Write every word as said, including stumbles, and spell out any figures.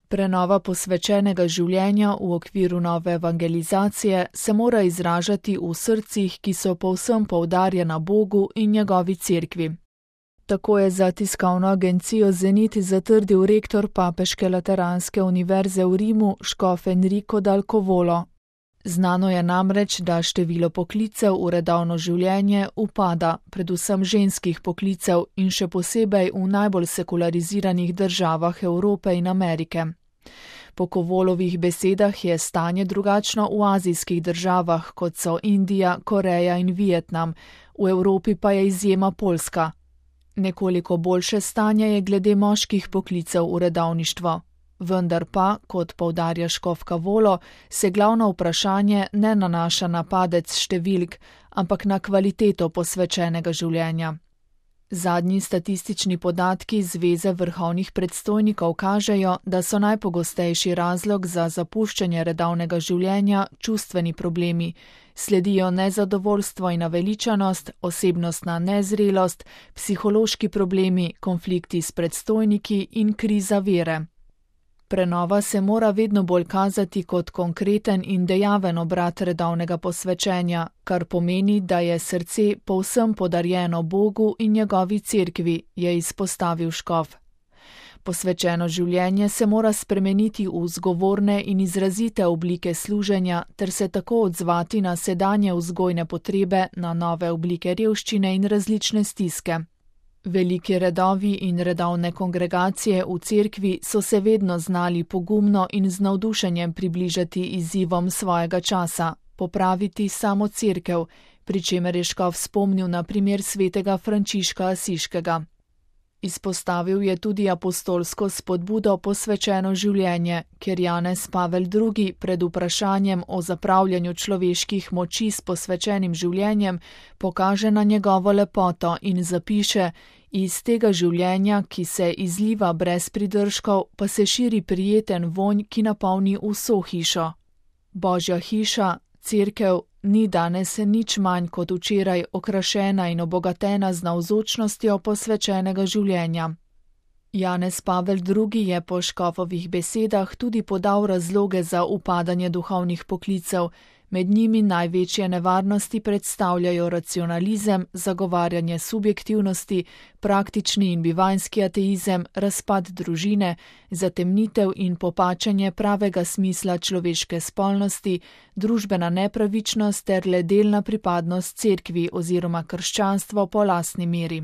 Prenova posvečenega življenja v okviru nove evangelizacije se mora izražati v srcih, ki so povsem poudarjena Bogu in njegovi cerkvi. Tako je za tiskovno agencijo Zenit zatrdil rektor Papeške lateranske univerze v Rimu škof Enrico Dal Covolo. Znano je namreč, da število poklicev v redovno življenje upada, predvsem ženskih poklicev in še posebej v najbolj sekulariziranih državah Evrope in Amerike. Po Covolovih besedah je stanje drugačno v azijskih državah, kot so Indija, Koreja in Vietnam, v Evropi pa je izjema Poljska. Nekoliko boljše stanje je glede moških poklicev v redovništvo. Vendar pa, kot poudarja škof Covolo, se glavno vprašanje ne nanaša na padec številk, ampak na kvaliteto posvečenega življenja. Zadnji statistični podatki Zveze vrhovnih predstojnikov kažejo, da so najpogostejši razlog za zapuščanje redovnega življenja čustveni problemi, sledijo nezadovoljstvo in naveličanost, osebnostna nezrelost, psihološki problemi, konflikti s predstojniki in kriza vere. Prenova se mora vedno bolj kazati kot konkreten in dejaven obrat redovnega posvečenja, kar pomeni, da je srce povsem podarjeno Bogu in njegovi cerkvi, je izpostavil škof. Posvečeno življenje se mora spremeniti v zgovorne in izrazite oblike služenja ter se tako odzvati na sedanje vzgojne potrebe, na nove oblike revščine in različne stiske. Veliki redovi in redovne kongregacije v cerkvi so se vedno znali pogumno in z navdušenjem približati izzivom svojega časa, popraviti samo cerkev, pri čemer je škof spomnil na primer svetega Frančiška Asiškega. Izpostavil je tudi apostolsko spodbudo posvečeno življenje, ker Janez Pavel drugi pred vprašanjem o zapravljanju človeških moči s posvečenim življenjem pokaže na njegovo lepoto in zapiše: iz tega življenja, ki se izliva brez pridržkov, pa se širi prijeten vonj, ki napolni vso hišo. Božja hiša, cerkev, ni danes nič manj kot včeraj okrašena in obogatena z navzočnostjo posvečenega življenja. Janez Pavel drugi je po škofovih besedah tudi podal razloge za upadanje duhovnih poklicev, med njimi največje nevarnosti predstavljajo racionalizem, zagovarjanje subjektivnosti, praktični in bivanjski ateizem, razpad družine, zatemnitev in popačenje pravega smisla človeške spolnosti, družbena nepravičnost ter le delna pripadnost cerkvi oziroma krščanstvo po lastni meri.